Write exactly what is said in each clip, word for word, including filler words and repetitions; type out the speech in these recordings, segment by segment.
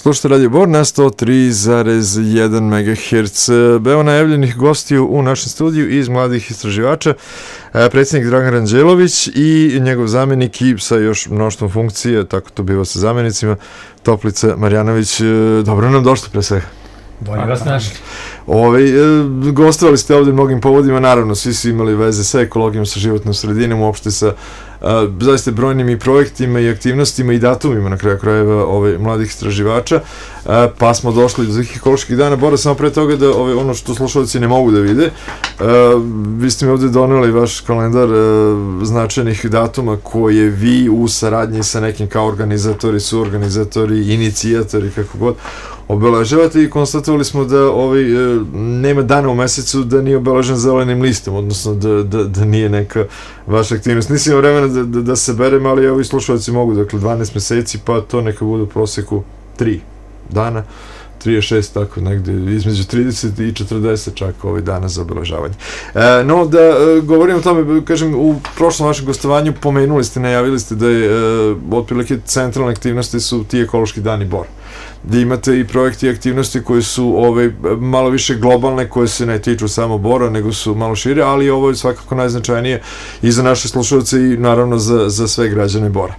Slušajte Radio Bor na sto tri zarez jedan megaherca. Evo najavljenih gostiju u našem studiju iz Mladih istraživača, predsjednik Dragan Ranđelović i njegov zamjenik i sa još mnoštvom funkcija, tako to biva sa zamjenicima, Toplica Marjanović. Dobro nam došli pre svega. Bolje vas našli. Ove, gostovali ste ovdje mnogim povodima, naravno svi su imali veze sa ekologijom, sa životnom sredinom, uopšte sa a, zaista brojnim i projektima i aktivnostima i datumima na kraju krajeva ove, mladih istraživača, a, pa smo došli do svih ekoloških dana Bora. Samo pre toga da ove, ono što slušalci ne mogu da vide, a, vi ste mi ovdje doneli vaš kalendar a, značajnih datuma koje vi u saradnji sa nekim kao organizatori, suorganizatori, inicijatori, kako god, obeležavate i konstatovali smo da ovaj, e, nema dana u mesecu da nije obeležen zelenim listom, odnosno da, da, da nije neka vaša aktivnost. Nisam imao vremena da, da, da se berem, ali evo i slušalci mogu, dakle dvanaest meseci, pa to neka bude u proseku tri dana, trideset šest, tako negde, između trideset i četrdeset čak ovaj dana za obeležavanje. E, no, da e, govorim o tome, kažem, u prošlom vašem gostovanju pomenuli ste, najavili ste da je e, otprilike centralne aktivnosti su ti ekološki dani Bora. Da imate i projekti i aktivnosti koje su ove, malo više globalne, koje se ne tiču samo Bora, nego su malo šire, ali ovo je svakako najznačajnije i za naše slušalce i naravno za, za sve građane Bora.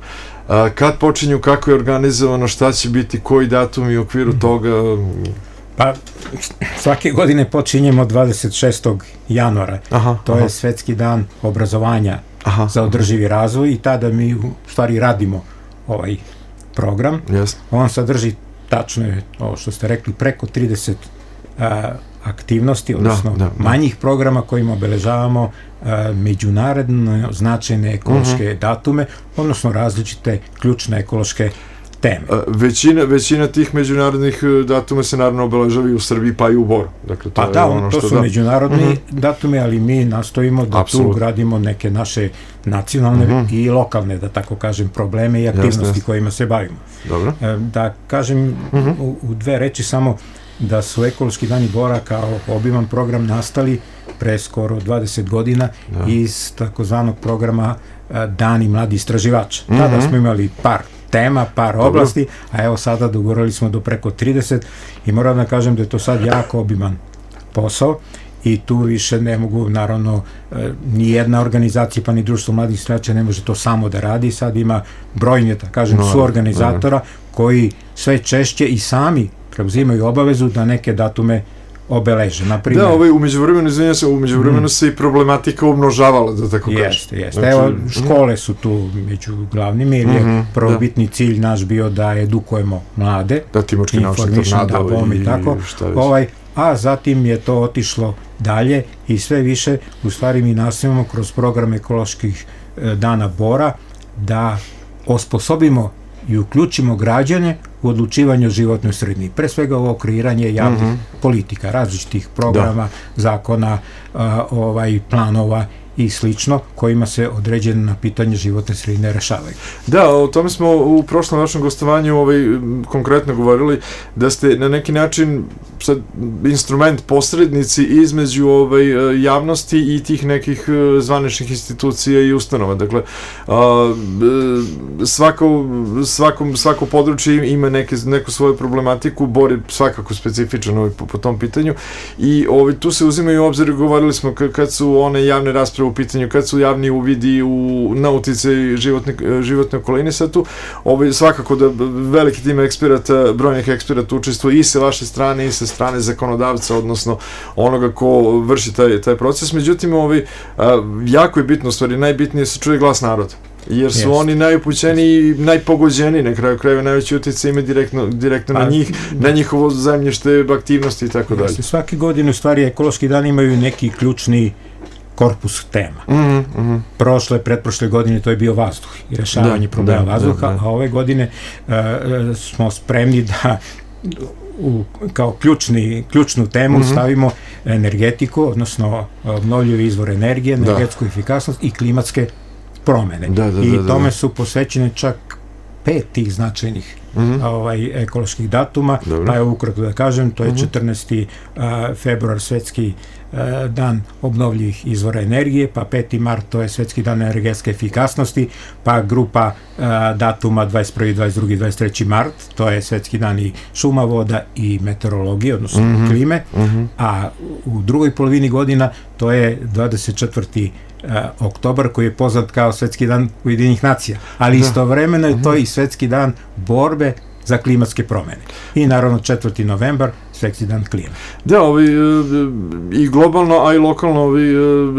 A, kad počinju, kako je organizovano, šta će biti, koji datum i u okviru toga? Pa, svake godine počinjemo dvadeset šestog januara. Aha, to aha. je Svetski dan obrazovanja Aha, za održivi razvoj i tada mi u stvari radimo ovaj program. Yes. On sadrži, tačno je ovo što ste rekli, preko trideset a, aktivnosti, odnosno da, da, da. manjih programa kojima obeležavamo a, međunarodno značajne ekološke uh-huh. datume, odnosno različite ključne ekološke teme. A, većina, većina tih međunarodnih datuma se naravno obeležava i u Srbiji, pa i u Boru. Dakle, to pa je da, ono to što su da. međunarodni uh-huh. datumi, ali mi nastojimo da Apsolutno. tu gradimo neke naše nacionalne uh-huh. i lokalne, da tako kažem, probleme i aktivnosti jasne, jasne. kojima se bavimo. Dobro. E, da kažem uh-huh. u, u dve reči samo da su ekološki dani Bora kao obiman program nastali pre skoro dvadeset godina da. iz takozvanog programa a, Dani mladih istraživača. Uh-huh. Tada smo imali par tema, par Dobro. oblasti, a evo sada dogurali smo do preko trideset i moram da kažem da je to sad jako obiman posao i tu više ne mogu, naravno, e, ni jedna organizacija pa ni društvo mladih istraživača ne može to samo da radi. Sad ima brojne, da kažem, no, suorganizatora no. koji sve češće i sami preuzimaju obavezu da neke datume obeleže. Naprimjer, da, ovaj, umeđu vremenu, izvinjam se, umeđu vremenu mm. se i problematika umnožavala, da tako kažem. Jeste, jeste. Znači, evo, škole su tu među glavnim, jer je mm-hmm, prvobitni da. cilj naš bio da edukujemo mlade, da Timočki naučni tornado i, i tako, ovaj, a zatim je to otišlo dalje i sve više, u stvari mi nastavimo kroz program ekoloških e, dana Bora da osposobimo i uključimo građane u odlučivanje o životnoj sredini. Pre svega ovo kreiranje javnih mm-hmm. politika, različitih programa, da. zakona, a, ovaj, planova i slično, kojima se određena pitanje životne sredine rešavaju. Da, o tome smo u prošlom našem gostovanju ovaj, konkretno govorili, da ste na neki način sad, instrument, posrednici između ovaj, javnosti i tih nekih zvaničnih institucija i ustanova. Dakle, a, svako, svako, svako područje ima neke, neku svoju problematiku, Bor je svakako specifičan ovaj, po, po tom pitanju i ovaj, tu se uzimaju u obzir, govorili smo kad su one javne rasprave u pitanju, kad su javni uvidi u, na utice životne, životne okoline, sad tu ovaj, svakako da veliki tim eksperata, brojnih eksperata učestvuje i sa vaše strane i sa strane zakonodavca, odnosno onoga ko vrši taj, taj proces. Međutim, ovaj, a, jako je bitno, u stvari, najbitnije je se čuje glas naroda. Jer su Jest. oni najupućeniji i najpogođeniji, na kraju krajeva najveći utjecaj ima direktno, direktno pa, na njih, na njihovo zemljište, aktivnosti i tako dalje. Svake godine, u stvari, ekološki dan imaju neki ključni korpus tema. Mm-hmm, mm-hmm. Prošle, pretprošle godine to je bio vazduh i rešavanje da, problema da, vazduha, da, da. a ove godine uh, smo spremni da u, kao ključni, ključnu temu mm-hmm. stavimo energetiku, odnosno obnovljivi izvor energije, energetsku da. efikasnost i klimatske promene. Da, da, I da, da, tome da. su posvećene čak pet tih značajnih Mhm. ovaj, ekoloških datuma, Dobro. pa je ukratko da kažem, to je Mhm. četrnaesti februar, svetski a, dan obnovljivih izvora energije, pa peti mart, to je svetski dan energetske efikasnosti, pa grupa a, datuma dvadeset prvi, dvadeset drugi, dvadeset treći mart, to je svetski dan i šuma, voda i meteorologije, odnosno Mhm. klime, Mhm. a u drugoj polovini godina to je dvadeset četvrti oktobar, koji je poznat kao svetski dan Ujedinjenih nacija, ali Da. istovremeno je to i svetski dan borbe za klimatske promene. I naravno četvrti novembar, svetski dan klime. Da, ovi, e, i globalno, a i lokalno, ovi, e,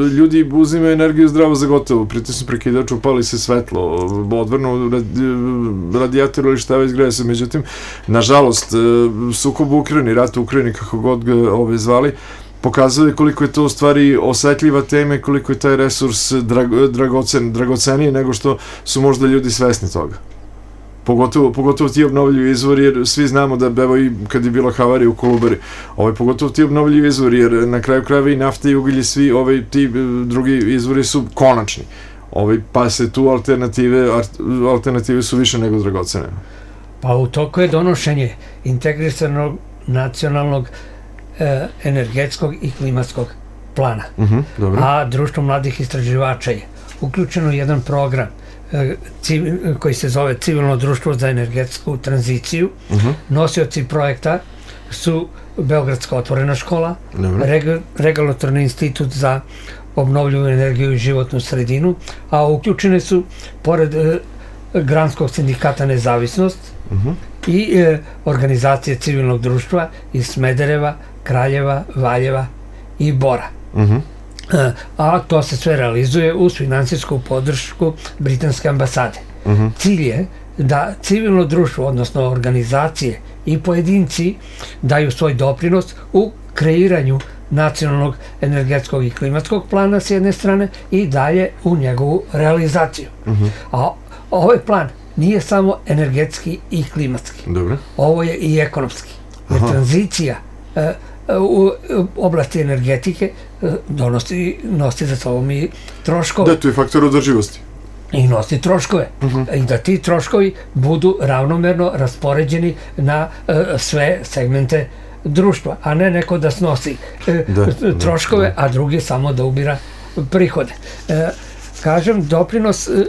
ljudi uzimaju energiju zdravo za gotovo, pritisnu prekidač, upali se svetlo, odvrnu radi- radijator ili šta već greje se, međutim, nažalost, e, sukob u Ukrajini, rat u Ukrajini, kako god ga ove zvali, pokazuje koliko je to u stvari osetljiva tema i koliko je taj resurs drag, dragocen, dragoceniji nego što su možda ljudi svesni toga. Pogotovo, pogotovo ti obnovljivi izvori, jer svi znamo da, evo i kad je bila havarija u Kolubari, ovaj, pogotovo ti obnovljivi izvori, jer na kraju krajeva i nafta i ugalj i svi ovaj, ti e, drugi izvori su konačni. Ovaj, pa se tu alternative, ar- alternative su više nego dragocene. Pa u toku je donošenje integrisanog nacionalnog e, energetskog i klimatskog plana. Mhm, dobro. A Društvo mladih istraživača je uključeno u jedan program e, civi- koji se zove Civilno društvo za energetsku tranziciju. Mhm, Nosioci projekta su Beogradska otvorena škola, dobro. Reg- Regulatorni institut za obnovljivu energiju i životnu sredinu, a uključene su, pored e, Granskog sindikata Nezavisnost, Mhm, i e, organizacije civilnog društva iz Smedereva, Kraljeva, Valjeva i Bora. mhm, E, a to se sve realizuje uz finansijsku podršku Britanske ambasade. mhm, Cilj je da civilno društvo, odnosno organizacije i pojedinci daju svoj doprinos u kreiranju nacionalnog energetskog i klimatskog plana s jedne strane i dalje u njegovu realizaciju. mhm, A ovaj plan nije samo energetski i klimatski. dobro. Ovo je i ekonomski. Jer Aha. tranzicija e, e, u e, oblasti energetike e, donosi, nosi za sobom i troškove. Da, tu je faktor održivosti. I nosi troškove. Mhm. I da ti troškovi budu ravnomerno raspoređeni na e, sve segmente društva, a ne neko da snosi e, Da, da, troškove, da. a drugi samo da ubira prihode. E, kažem, doprinos e,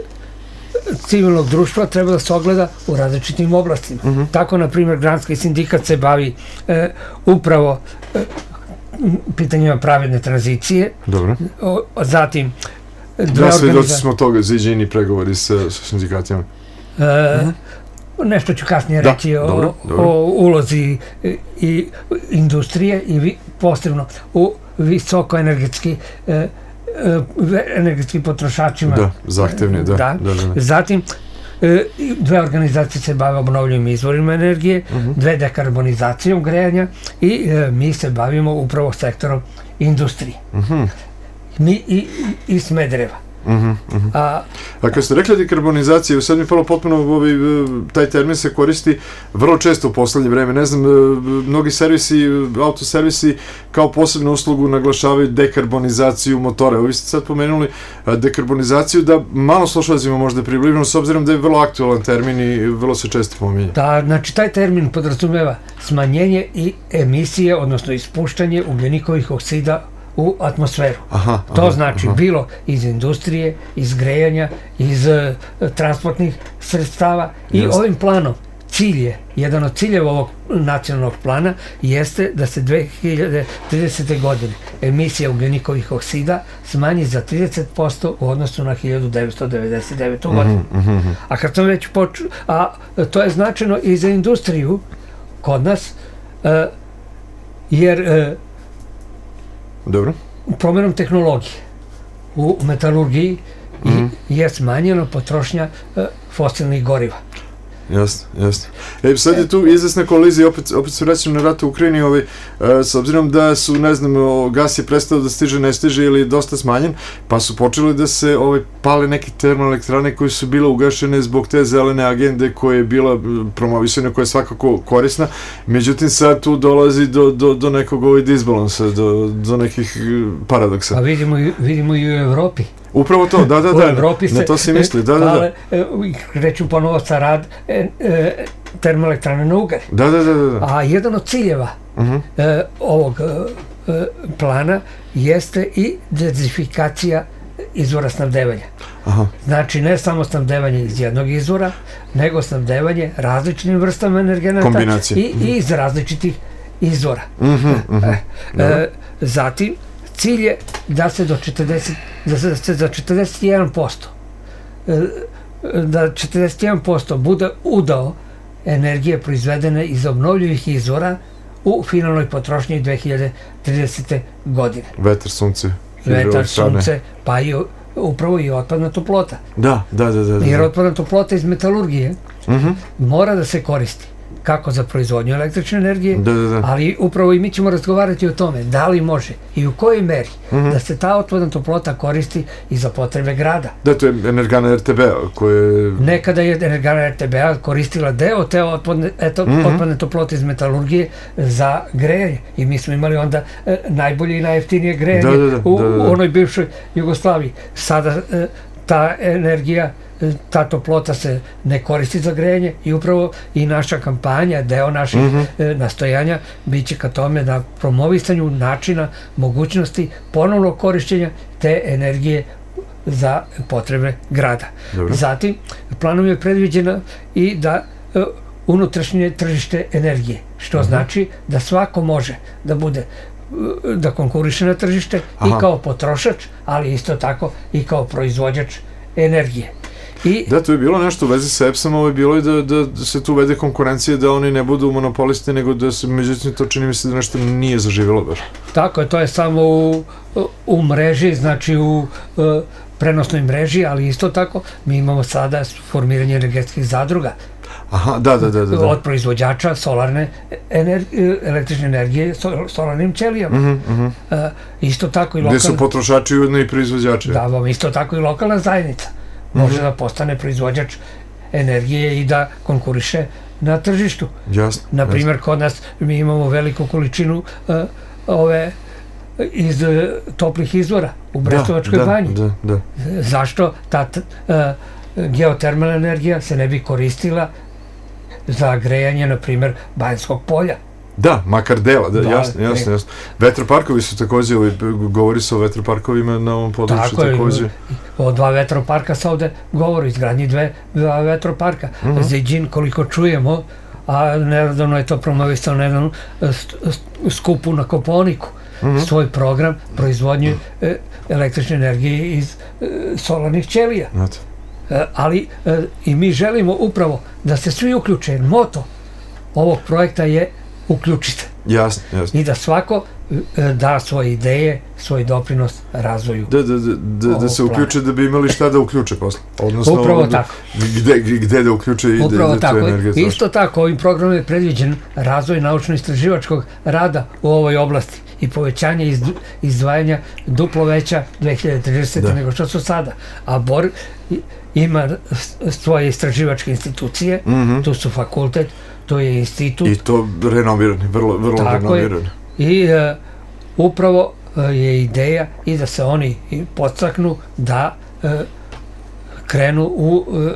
civilnog društva treba da se ogleda u različitim oblastima. Mhm. Tako, na primjer, Granski sindikat se bavi e, upravo e, pitanjima pravedne tranzicije, Dobro. o, zatim dve Da, svedoci organiza- smo toga, ziđeni pregovori sa, sa sindikatima. E, nešto ću kasnije Da, reći o, dobro, dobro. o ulozi i, i industrije i vi, posebno u visoko energetski e, e, energetskim potrošačima. Da, zahtevni, da. Da. da, da, da. Zatim, e, i dve organizacije se bave obnovljivim izvorima energije, Mhm. dve dekarbonizacijom grejanja i e, mi se bavimo upravo sektorom industrije. Mhm, Mi i, i Smedereva. mhm, mhm. A, A kad ste rekli dekarbonizacija, sad mi je palo potpuno, ovaj, e, taj termin se koristi vrlo često u poslednje vreme. Ne znam, e, mnogi servisi, e, autoservisi kao posebnu uslugu naglašavaju dekarbonizaciju motora. Evo, vi ste sad pomenuli e, dekarbonizaciju, da malo slušalcima možda približimo, s obzirom da je vrlo aktualan termin i vrlo se često pominje. Da, znači taj termin podrazumeva smanjenje i emisije, odnosno ispuštanje ugljenikovih oksida u atmosferu. Aha, To aha, znači aha. bilo iz industrije, iz grejanja, iz e, transportnih sredstava i Jeste. ovim planom cilj je, jedan od ciljeva ovog nacionalnog plana jeste da se dve hiljade tridesete. godine emisija ugljenikovih oksida smanji za trideset posto u odnosu na hiljadu devetsto devedeset devetu. godinu. Mhm, mhm, A kad sam već poču, a to je značajno i za industriju kod nas, e, jer e, Dobro. promjenom tehnologije u metalurgiji i Mhm. je smanjena potrošnja e, fosilnih goriva. Jasno, jasno. E, sad je tu izvesna kolizija, opet, opet se vraćam na rat u Ukrajini, ovaj, e, s obzirom da su, ne znam, o, gas je prestao da stiže, ne stiže ili je dosta smanjen, pa su počeli da se ovaj, pale neke termoelektrane koje su bile ugašene zbog te zelene agende koja je bila m, promovisana, koja je svakako korisna, međutim sad tu dolazi do, do, do nekog ovaj disbalansa, do, do nekih e, paradoksa. Pa vidimo, i- vidimo i u Evropi Upravo to, da, da, da, u Evropi na to si misli, da, da, da. Kreću ponovo sa rad e, e, termoelektrane na ugalj. Da, da, da, da. A jedan od ciljeva uh-huh. e, ovog e, plana jeste i dezifikacija izvora snabdevanja. Aha. Znači, ne samo snabdevanje iz jednog izvora, nego snabdevanje različitim vrstama energenata i, i iz različitih izvora. Uh-huh, uh-huh. E, e, zatim, cilj je da se do četrdeset, da se za četrdeset jedan posto e, da četrdeset jedan posto bude udao energije proizvedene iz obnovljivih izvora u finalnoj potrošnji dve hiljade tridesete. godine. Vetar, sunce. Vetar, sunce, pa i upravo i otpadna toplota. Da, da, da. da, da. Jer otpadna toplota iz metalurgije uh-huh. mora da se koristi kako za proizvodnju električne energije, da, da, da. ali upravo i mi ćemo razgovarati o tome da li može i u kojoj meri uh-huh. da se ta otpadna toplota koristi i za potrebe grada. Da, to je energana er te be-a koje... Nekada je energana er te be-a koristila deo te otpadne, eto, uh-huh. otpadne toplote iz metalurgije za grejanje i mi smo imali onda e, najbolje i najjeftinije grejanje da, da, da, u, da, da, da. u onoj bivšoj Jugoslaviji. Sada e, ta energija, ta toplota se ne koristi za grejanje i upravo i naša kampanja, deo naših mm-hmm. e, nastojanja biće ka tome na promovisanju načina, mogućnosti ponovnog korišćenja te energije za potrebe grada. Dobro. Zatim, planom je predviđeno i da e, unutrašnje tržište energije, što mm-hmm. znači da svako može da bude da konkuriše na tržište Aha. i kao potrošač, ali isto tako i kao proizvođač energije. I, da, to je bilo nešto u vezi sa E P S-om, ovo je bilo i da, da se tu uvede konkurencije, da oni ne budu monopolisti, nego da se, međutim, to čini mi se da nešto nije zaživjelo baš. Tako je, to je samo u, u mreži, znači u uh, prenosnoj mreži, ali isto tako mi imamo sada formiranje energetskih zadruga. Aha, da, da, da, da. Od proizvođača solarne energi, električne energije sol, solarnim ćelijama. Uh-huh, uh-huh. Uh, isto tako i lokalna... Gde su potrošači ujedno i proizvođači. Da, vam isto tako i lokalna zajednica može uh-huh. da postane proizvođač energije i da konkuriše na tržištu. Jasno. Naprimjer, jasno. kod nas mi imamo veliku količinu uh, ove iz uh, toplih izvora u Brestovačkoj da, banji. Da, da. Zašto ta t, uh, geotermalna energija se ne bi koristila za grejanje, na primjer, Banjskog polja? Da, makar dela, da, da jasno, jasno, jasno. Vetroparkovi su takođe, govori se o vetroparkovima na ovom području tako takođe. Je, o dva vetroparka se ovde govori, izgradnji dve, dva vetroparka. Uh-huh. Ziđin, koliko čujemo, a nedavno je to promovisao na jednom skupu na Koponiku, uh-huh. svoj program proizvodnje uh-huh. električne energije iz solarnih ćelija. Znate. Ali i mi želimo upravo da se svi uključe. Moto ovog projekta je uključite. Jasno, jasno. I da svako da svoje ideje, svoj doprinos razvoju. Da, da, da, da, da se uključe da bi imali šta da uključe posle. Odnosno, upravo da, tako. Gde, gde da uključe i upravo da, da tako. Energija. Isto tako, ovim programom je predviđen razvoj naučno-istraživačkog rada u ovoj oblasti i povećanje izdvajanja duplo veća dve hiljade tridesete. nego što su sada. A Bor ima svoje istraživačke institucije, mm-hmm. tu su fakultet, to je institut. I to renovirani, vrlo, vrlo renovirani. I uh, upravo uh, je ideja i da se oni podstaknu da uh, krenu u uh,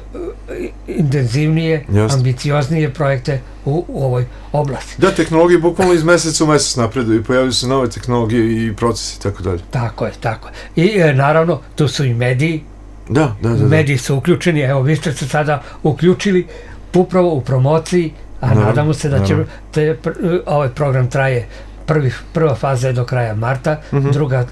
intenzivnije, Just. ambicioznije projekte u, u ovoj oblasti. Da, tehnologije bukvalno iz meseca u mesec napreduju i pojavljaju se nove tehnologije i procesi i tako dalje. Tako je, tako je. I uh, naravno, tu su i mediji. Da, da, da. da. Mediji su uključeni, evo vi ste se sada uključili upravo u promociji, a naravno, nadamo se da će te, ovaj program traje, prvi, prva faza je do kraja marta, uh-huh. druga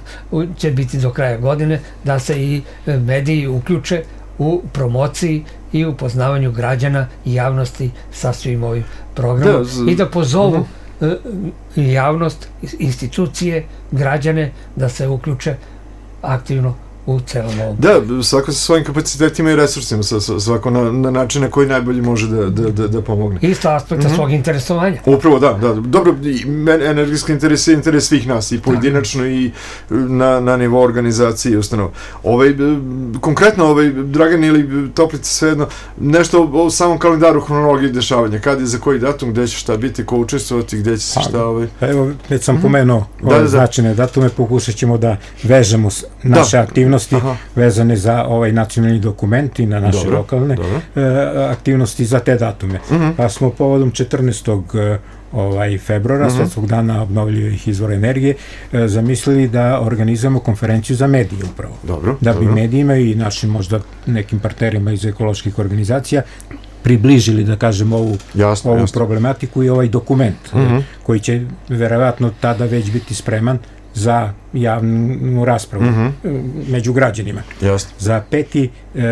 će biti do kraja godine, da se i mediji uključe u promociji i upoznavanju građana i javnosti sa svim ovim programom da, z... i da pozovu uh-huh. javnost, institucije, građane da se uključe aktivno u celom ovom. Da, svako sa svojim kapacitetima i resursima, svako na, na način na koji najbolje može da, da, da, da pomogne. Isto aspekta mm-hmm. svog interesovanja. Upravo, da, da. Dobro, energetski interes je interes svih nas, i pojedinačno, i na, na nivou organizacije i ustanova. Ovaj, konkretno, ovaj, Dragan ili Toplica, svejedno, nešto o samom kalendaru hronologije dešavanja, kad je za koji datum, gde će šta biti, ko učestvovati, gde će se šta... Ovaj... Evo, već sam mm-hmm. pomenuo ove da, da, značajne datume, pokušat ćemo da vežemo naše da. aktivnosti aktivnosti Aha. vezane za ovaj nacionalni dokument i na naše Dobro, lokalne dobro. e, aktivnosti za te datume. Mhm. Pa smo povodom četrnaestog ovaj februara, Mhm. Svetskog dana obnovljivih izvora energije, e, zamislili da organizujemo konferenciju za medije upravo. Dobro, Da bi dobro. medijima i našim možda nekim partnerima iz ekoloških organizacija približili, da kažem, ovu, Jasno, ovu jasno. problematiku i ovaj dokument, Mhm. koji će verovatno tada već biti spreman za javnu raspravu Mhm. među građanima. Jasno. Za peti e,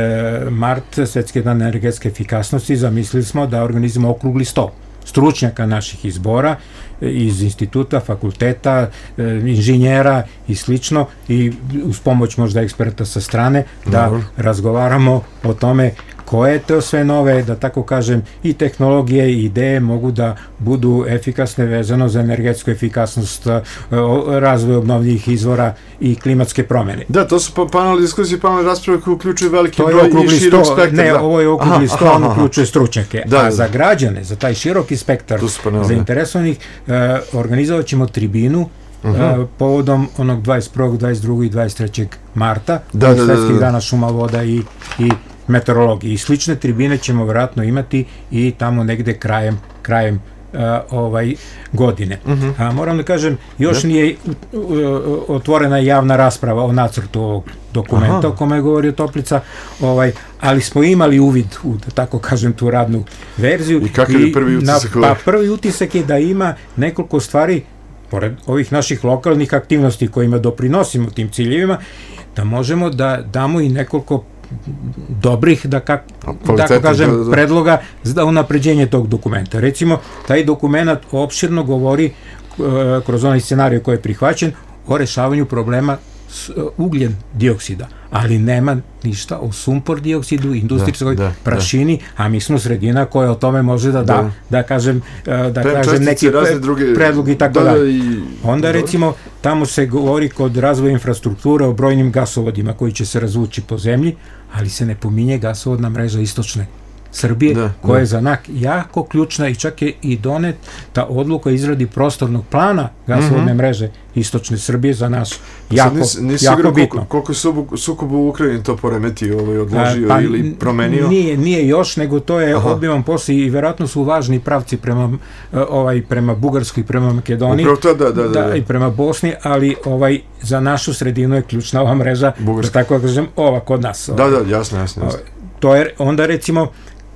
mart, Svetski dan energetske efikasnosti, zamislili smo da organizujemo okrugli sto stručnjaka naših izbora, e, iz instituta, fakulteta, e, inženjera i slično, i uz pomoć možda eksperta sa strane, da Dobro. razgovaramo o tome koje to sve nove, da tako kažem, i tehnologije i ideje mogu da budu efikasne vezano za energetsku efikasnost, e, o- razvoj obnovljivih izvora i klimatske promene. Da, to su pa- panel diskusije, panel rasprave koji uključuju veliki To je broj i okrugli širok sto, spektar. ne, da. ovo je okrugli Aha, sto, aha, on aha. uključuje stručnjake, Da, a da, za da. građane, za taj široki spektar Tu su paneli, da. zainteresovanih, e, organizovat ćemo tribinu Mhm. e, povodom onog dvadeset prvog, dvadeset drugog i dvadeset trećeg marta, Da, da, da, Svetskih da. dana šuma, voda i, i meteorologije. I slične tribine ćemo vjerojatno imati i tamo negde krajem, krajem e, ovaj godine. Mhm. A moram da kažem, još Da. nije uh, uh, otvorena javna rasprava o nacrtu ovog dokumenta Aha. o kome je govorio Toplica, ovaj, ali smo imali uvid u, da tako kažem, tu radnu verziju. I kakav je prvi utisak na, Pa ovaj? prvi utisak je da ima nekoliko stvari, pored ovih naših lokalnih aktivnosti kojima doprinosimo tim ciljevima, da možemo da damo i nekoliko dobrih, da kak, da kvalitetnih, kažem, da, da. predloga za unapređenje tog dokumenta. Recimo, taj dokument opširno govori e, kroz onaj scenarij koji je prihvaćen o rešavanju problema s, e, ugljen dioksida, ali nema ništa o sumpor dioksidu, industrijskoj Da, da, prašini, a mi smo sredina koja o tome može da da, Da. da kažem, e, da Prem kažem čestice, neki razne pre- druge- predlog i tako da, da, dalje. i- Onda dobro. recimo tamo se govori kod razvoja infrastrukture o brojnim gasovodima koji će se razvući po zemlji, ali se ne pominje gasovodna mreža istočne Srbije, Da, koja da. je za nak jako ključna, i čak je i donet ta odluka o izradi prostornog plana gasovodne mreže istočne Srbije, za nas jako, Sad nisi, nisi jako siguran bitno. koliko, koliko je subu- sukob u Ukrajini to poremetio, ovaj, odložio A, pa, ili promenio? Nije, nije još, nego to je Aha. obiman posao i verovatno su važni pravci prema, e, ovaj, prema Bugarskoj, prema Makedoniji. Upravo to, da, da, da, da. i prema Bosni, ali ovaj za našu sredinu je ključna ova mreža, Bugarska. da tako kažem, ova kod nas. Da, ovaj. da, jasno, jasno, jasno. To je onda recimo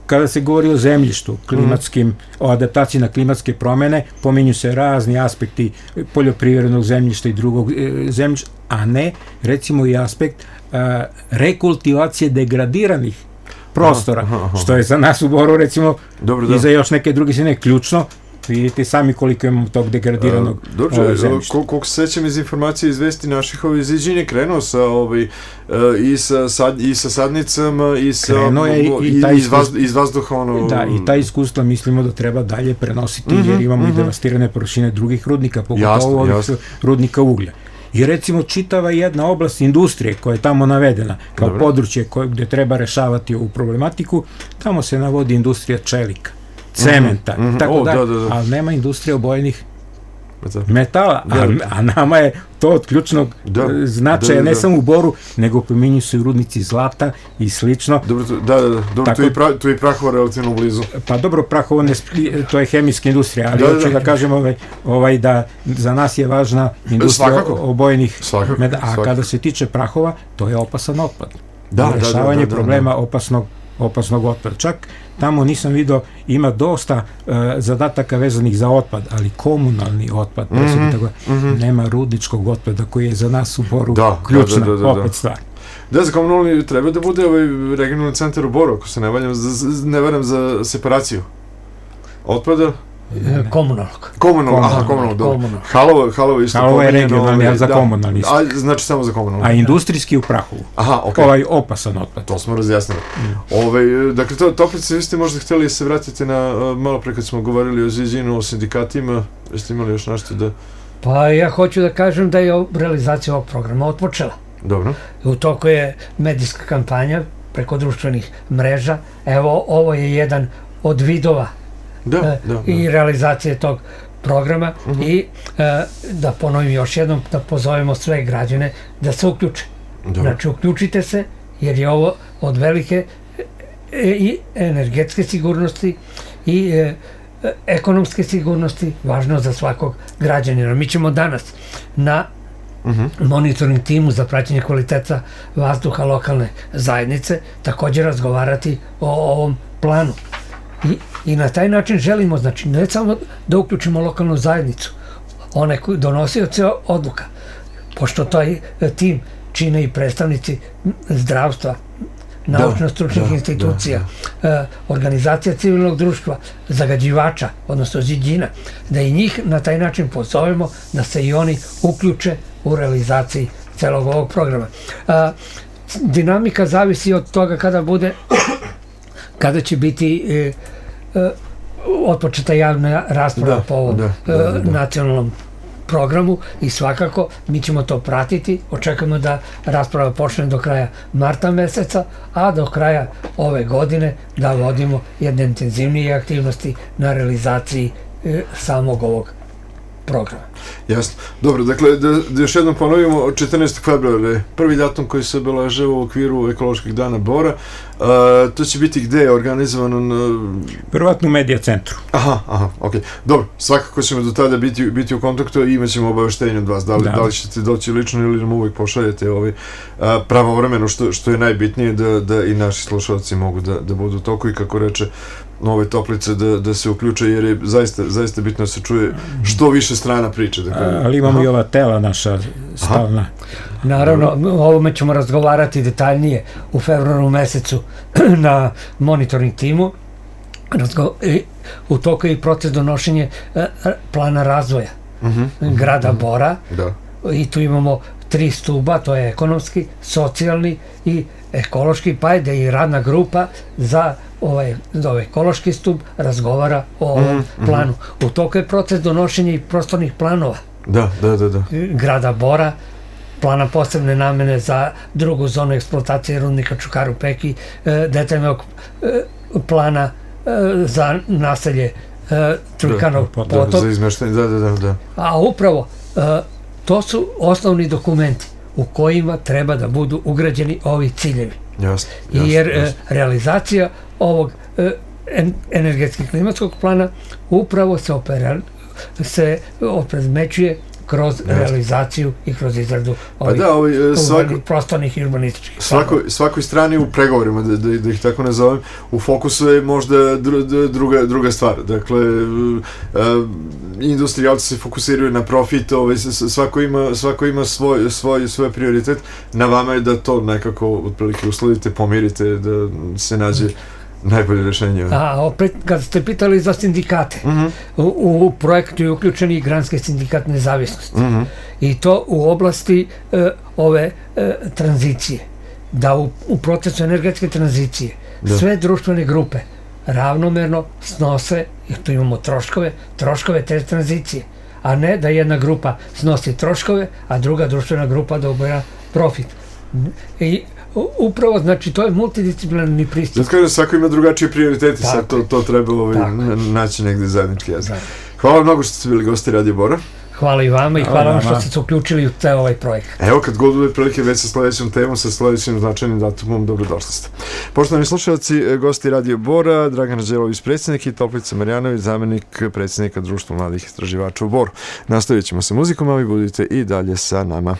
kada se govori o zemljištu, klimatskim, o adaptaciji na klimatske promene, pominju se razni aspekti poljoprivrednog zemljišta i drugog e, zemljišta, a ne recimo i aspekt e, rekultivacije degradiranih prostora, Aha, aha, aha. što je za nas u Boru recimo Dobro, da. i za još neke druge sredine ključno. Vidite sami koliko imamo tog degradiranog E, Dobro, ovaj, e, zemljišta. kol- koliko se sećam iz informacije iz vesti naših, ovaj Ziđin je krenuo sa ovaj, e, i sa sad i sa sadnicama i sa Krenuo je i- i, i taj iz, vaz, iskus- iz vazduha ono. Da, i ta iskustva mislimo da treba dalje prenositi, Mhm, jer imamo mhm. i devastirane površine drugih rudnika, Jasno, pogotovo ovih jasno. rudnika uglja. I recimo čitava jedna oblast industrije koja je tamo navedena kao Dobro. područje koje, gde treba rešavati ovu problematiku, tamo se navodi industrija čelika, cementa, mhm. tako O, da, da, da, da. ali nema industrija obojenih Da. metala, Da. a, a nama je to od ključnog Da, e, značaja, da, da, ne da. samo u Boru, nego pominju se i rudnici zlata i slično. Dobro, to- da, da, da. Dobro, Tako- tu je, pra, tu je Prahova relativno blizu. Pa dobro, Prahovo ne, sp- to je hemijska industrija, ali Da, da, hoću da, da. kažem ovaj, ovaj, da za nas je važna industrija Svakako. obojenih Svakako, meda, a svakako. kada se tiče Prahova, to je opasan otpad. Da, da, Rešavanje da, da, da, problema opasnog opasnog otpada. Čak tamo nisam video, ima dosta e, zadataka vezanih za otpad, ali komunalni otpad, pre svega Mhm, tako, mhm. nema rudničkog otpada koji je za nas u Boru Da, ključna da, da, da, da. opet stvar. Da, za komunalni treba da bude ovaj regionalni centar u Boru, ako se ne valjam, za, za- ne varam za separaciju otpada. E, komunalnog. Komunalno, aha, Komunalno, komunalno, dobro. komunalno. Halovo, Halovo isto Halovo je pominjeno, regionalni, ovaj, a za da. komunalni isto. A, znači samo za komunalno. A industrijski u Prahovu. Aha, okej. Ovaj opasan otpad. To smo razjasnili. Mm. Ovaj, dakle, to, Toplice, vi ste možda htjeli da se vratite na, uh, malo pre kad smo govorili o Ziđinu, o sindikatima, jeste imali još nešto da... Pa ja hoću da kažem da je o- realizacija ovog programa otpočela. Dobro. U toku je medijska kampanja preko društvenih mreža. Evo, ovo je jedan od vidova Da, e, da, da. i realizacije tog programa Mhm. i e, da ponovim još jednom, da pozovemo sve građane da se uključe. Dobro. Znači, uključite se, jer je ovo od velike e, i energetske sigurnosti i e, ekonomske sigurnosti važno za svakog građanina. Mi ćemo danas na uh-huh. monitoring timu za praćenje kvaliteta vazduha lokalne zajednice također razgovarati o ovom planu. I, i na taj način želimo, znači, ne samo da uključimo lokalnu zajednicu, one koji donosioce odluka, pošto taj tim čine i predstavnici zdravstva, naučno-stručnih da, institucija, da, da. organizacija civilnog društva, zagađivača, odnosno ziđina, da i njih na taj način pozovemo da se i oni uključe u realizaciji celog ovog programa. A, dinamika zavisi od toga kada bude, kada će biti e, e, otpočeta javna rasprava da, po ovom da, da, da, da. nacionalnom programu i svakako mi ćemo to pratiti. Očekujemo da rasprava počne do kraja marta meseca, a do kraja ove godine da vodimo jedne intenzivnije aktivnosti na realizaciji e, samog ovog programa. Jasno. Dobro, dakle, da, da još jednom ponovimo, četrnaestog februara prvi datum koji se obeležava u okviru ekoloških dana Bora. Uh, to će biti gde je organizovano? Na... Prvatno u Medija centru. Aha, aha, ok. Dobro, svakako ćemo do tada biti, biti u kontaktu i imat ćemo obaveštenje od vas. Da li, da. da li ćete doći lično ili nam uvijek pošaljete ovaj, uh, pravovremeno, što, što je najbitnije da, da i naši slušalci mogu da, da budu u toku i kako reče Nove Toplice da, da se uključe, jer je zaista, zaista bitno da se čuje što više strana priče. Dakle, A, ali imamo aha. i ova tela naša stalna. Aha. Naravno, o ovome ćemo razgovarati detaljnije u februaru mesecu na monitoring timu. Razgo u toku je i proces donošenja plana razvoja uh-huh. grada uh-huh. Bora. Da. I tu imamo tri stuba, to je ekonomski, socijalni i ekološki, pa je da i radna grupa za ovaj, za ovaj ekološki stup razgovara o ovom mm-hmm. planu. U toku je proces donošenja i prostornih planova da, da, da, da. grada Bora, plana posebne namene za drugu zonu eksploatacije rudnika Čukaru Peki, e, detaljnog e, plana e, za naselje e, Trujkanov da, potok. Da, za izmeštanje, da, da, da, da. A upravo e, to su osnovni dokumenti u kojima treba da budu ugrađeni ovi ciljevi. Jasno, jasno, jer jasno. E, realizacija ovog e, en, energetskog klimatskog plana upravo se, opera, se opredmećuje kroz jasno. realizaciju i kroz izradu ovih pa da, ovaj, svako, prostornih i urbanističkih svako, svakoj strani u pregovorima, da, da, da ih tako nazovem, u fokusu je možda dru, druga, druga stvar. Dakle, uh, industrijalci se fokusiraju na profit, ovaj, svako ima, svako ima svoj, svoj, svoj prioritet. Na vama je da to nekako otprilike uslovite, pomirite, da se nađe najbolje rješenje. A opet, kad ste pitali za sindikate, uh-huh. u, u projektu je uključeni i Granski sindikat nezavisnosti. Uh-huh. I to u oblasti e, ove e, tranzicije. Da u, u procesu energetske tranzicije da. sve društvene grupe ravnomerno snose, jer tu imamo troškove, troškove te tranzicije. A ne da jedna grupa snosi troškove, a druga društvena grupa da ubira profit. I upravo, znači, to je multidisciplinarni pristup. Zato kažem, svako ima drugačije prioritete, sad to, to treba ovaj, naći negdje zajednički jezik. Hvala mnogo što ste bili gosti Radio Bora. Hvala i vama i hvala vam što ste se uključili u ceo ovaj projekt. Evo, kad god bude prilike već sa sljedećom temom, sa sljedećim značajnim datumom, dobrodošli ste. Poštovani slušalci, gosti Radio Bora, Dragan Rađelović, predsjednik, i Toplica Marjanović, zamjenik predsjednika Društva mladih istraživača u Boru. Nastavit ćemo sa muzikom, a vi budite i dalje sa nama.